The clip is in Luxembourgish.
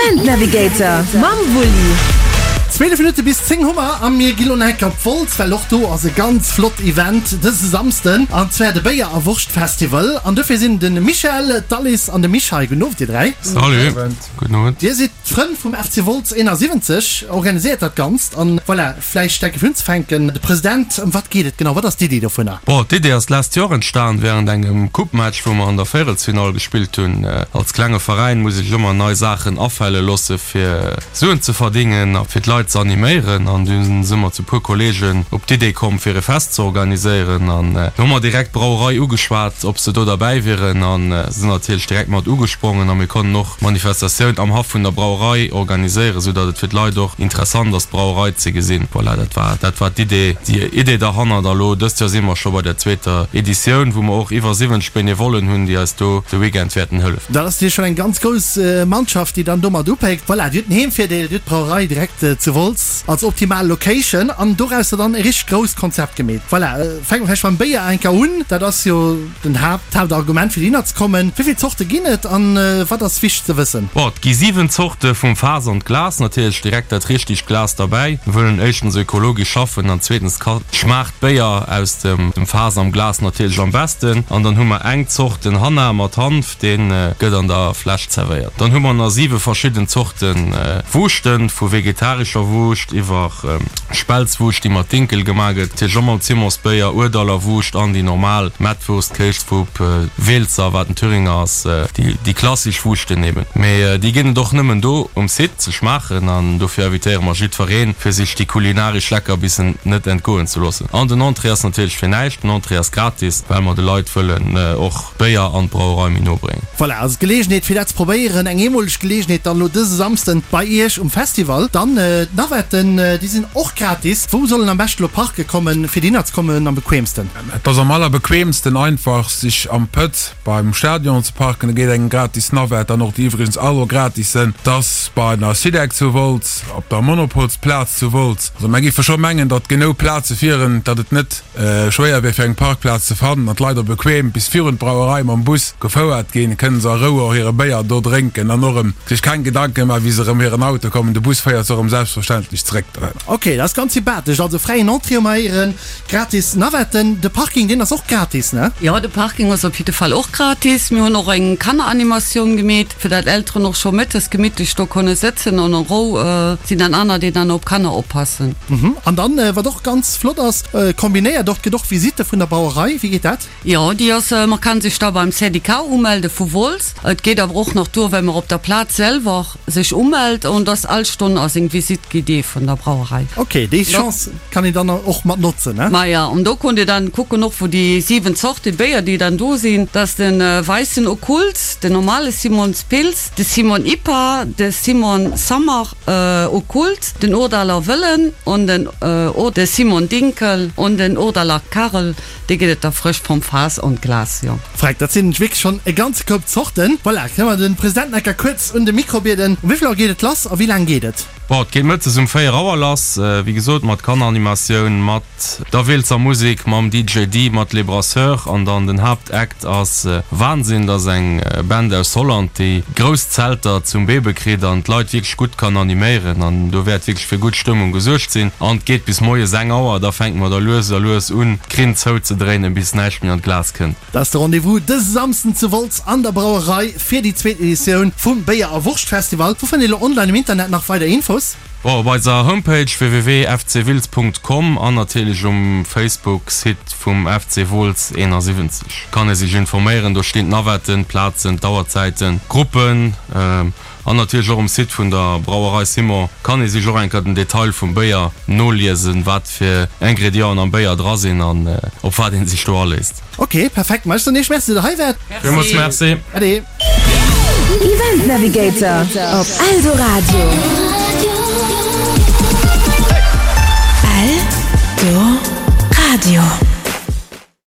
Event Navigator mam Wulli. 12 Minutte bis 10 hu mer a mir gi lo nach eng Kéier op Wolz, well och do ass e ganz flott Event dëse Samsden, an zwar de Béier a Wurscht Festival. An dofir sinn de Michel, d'Alice an de Mich hei. Gudden Owend dir 3. Salut, gudden Owend. Dir sidd d'Frënn vum FC Wolz 71, organiséiert dat Ganzt an voilà, vläicht enke fir unzefänken, de President, ëm wat geet et genau, wat ass d'Iddi dovunner? Bon, d'Idee ass d'lescht Joer entstan während engem Coupe-Match, wou mer an der Véierelsfinall gespillt hunn. Als klenge Veräin muss ee sech ëmmer nei Saachen afale loosse fir Suen ze verdingen a fir d'Leit ze animéieren. An dunn si mer zu puer Kollegen op d'Idee komm fir e Fest ze organiséieren. An do hu mer direkt d'Brauerei ugeschwat, ob se do derbäi wieren a sinn natierlech direkt mat ugesprongen a mir konnten och Manifestatioun am Haff vun der Brauerei organiséieren, sou datt et fir d'Leit och interessant ass, d'Brauerei ze gesinn. Voilà, dat war, dat war d'Idee, déi Idee derhannert. A lo dëst Joer si mer scho bei der zweeter Editioun, wou mer och iwwer 70 Benevollen hunn, déi eis do de Weekend wäerten hëllefen. Dat ass natierlech schonn eng ganz grouss Mannschaft, déi dann domat upéckt. Voilà, Dir hutt den Heemvirdeel, Dir hutt d'Brauerei direkt zu Wolz als optimal Location an dorausser dann e richteg grousst Konzept gemeet. Voilà, fänke mer vläicht mam Béier enker un. Dat ass jo Den Haapt, d'Haaptargument fir dohinner ze kommen. Wéi vill Zorte ginn et an wat ass wichteg ze wëssen? Bon, et gi 7 Zorte vum Faass an d'Glas, natierlech direkt dat richtegt Glas derbäi. Mir wëllen éischtens ökologesch schaffen an zweetens ka schmaacht d'Béier aus dem Faass am Glas natierlech am besten. An dann hu mer eng Zort, den Hanna mat Hanf, dee gëtt an der Fläsch zerwéiert. Dann hu mer nach 7 verschidden Zorte Wuuschten, vu vegetarescher Wuuscht iwwer Spelzwuuscht, déi mat Dinkel gemaach gëtt, natierlech och mam Zimmersbéier, Ourdaller Wuuscht an déi normal Mettwurst, Kéisfupp, Weelzer, wat en Thüringer ass, déi klassisch Wuuschten eben. Mee déi ginn et och nëmmen do um Site ze schmaachen an dofir invitéiere mer jiddwereen, fir sech déi kulinaresch Leckerbissen net entgoen ze loossen. An den Entrée ass natierlech fir näischt, den Entrée ass gratis, well mer de Leit wëllen och Béier an d'Brauerei méi no bréngen. Voilà, also d'Geleegenheet fir dat ze probéieren, eng eemoleg Geleegenheet dann elo dëse Samsden bei Iech um Festival. Dann d'Navetten, déi sinn och gratis. Wou soll en am beschten elo parke kommen, fir dohinner ze kommen am bequemsten? Et ass am allerbequemsten einfach sech am Pëtz beim Stadion ze parken, da geet engem gratis Navette an och déi iwwregens all och gratis sënn. Et ass bei der Sidec zu Wolz, op der Monopolsplaz zu Wolz. Also mer géife scho mengen, datt genou Plaze wieren, datt et net. Schwéier wier fir eng Parkplaz ze fannen an d'Leit och bequem bis virun d'Brauerei mam Bus gefouert ginn, kënnen se a Rou och hire Béier do drénken an och erëm sech keng Gedanken maachen, wéi se erëm hiren Auto kommen. De Bus féiert se och erëm selbstverständlech zeréck dohinner. Ok, dat ass ganz sympathesch. Also fräien Entrée um Eieren, gratis Navetten. De Parking, deen ass och gratis, ne? Jo, de Parking ass op jidde Fall och gratis. Mir hunn och eng Kanneranimatioun gemeet, fir dat Elteren och scho mëttes gemittlech do konne sëtzen an a Rou sinn dann aner, déi dann op Kanner oppassen. An dann, wat och ganz flott ass, kombinéiert och, et gëtt och Visitte vun der Brauerei. Wéi geet dat? Jo, déi ass, man kann sech da beim Syndicat umelde vu Wolz. Et geet awer och nach duer, well mer op der Plaz selwer sech umellt an dass all Stonn ass eng Visite guidée vun der Brauerei. Ok, déi Chance kann een dann och mat notzen, ne? Maja, an do konnt Dir dann kucken och wou déi 7 Zorte Béier déi dann do sinn, dass den weissen Okkult, den normale Simons Pils, de Simon Ipa, de Simon Summer, Okkult, den Urdaler Wëllen an den de Simon Dinkel an den Urdaler Karel, déi gëtt et da frësch vom Faass an d'Glas, jo. Freck, dat sinn wierklech schonn e ganze Koup Zorten. Voilà, kënne mer de President enker kuerz un de Mikro bieden. Um wéi vill Auer geet et lass a wéi laang geet et? Bon, et geet mëttes um 4 Auer lass, wéi gesot, mat Kanneranimatioun, mat der Weeltzer Musek, mam DJ Dee, mat Les Brasseurs an dann den Haaptact ass Wahnsinn. Dat ass eng Band aus Holland, déi grouss Zelter zum Bebe kritt an d'Leit wierklech gutt kann animéieren an do wäert wierklech fir gutt Stëmmung gesuergt sinn. An et geet bis moies eng Auer, da fänke mer da lues a lues un d'Krinn zouzedréinen, bis näischt méi an d'Glas kënnt. Dat ass de Rendez-vous dëse Samsden zu Wolz an der Brauerei fir déi zweet Editioun vum Béier a Wurscht-Festival. Wou fënnt een elo online um Internet nach weider Infos? Bon, op eiser Homepage www.fcwiltz.com an natierlech um Facebook Site vum FC Wooltz 71 kann ee sech informéieren. Do stinn d'Navetten, d'Plazen, d'Auerzäiten, d'Gruppen an natierlech och um Site vun der Brauerei Simon kann ee sech och eng Kéier den Detail vum Béier noliesen, wat fir Ingredienten am Béier dra sinn an op wat ee sech do aléisst. Ok, perfekt. Ma ech soen iech Merci, datt der hei waart. Villmools Merci. Ade. Event Navigator op Eldoradio. Eldoradio.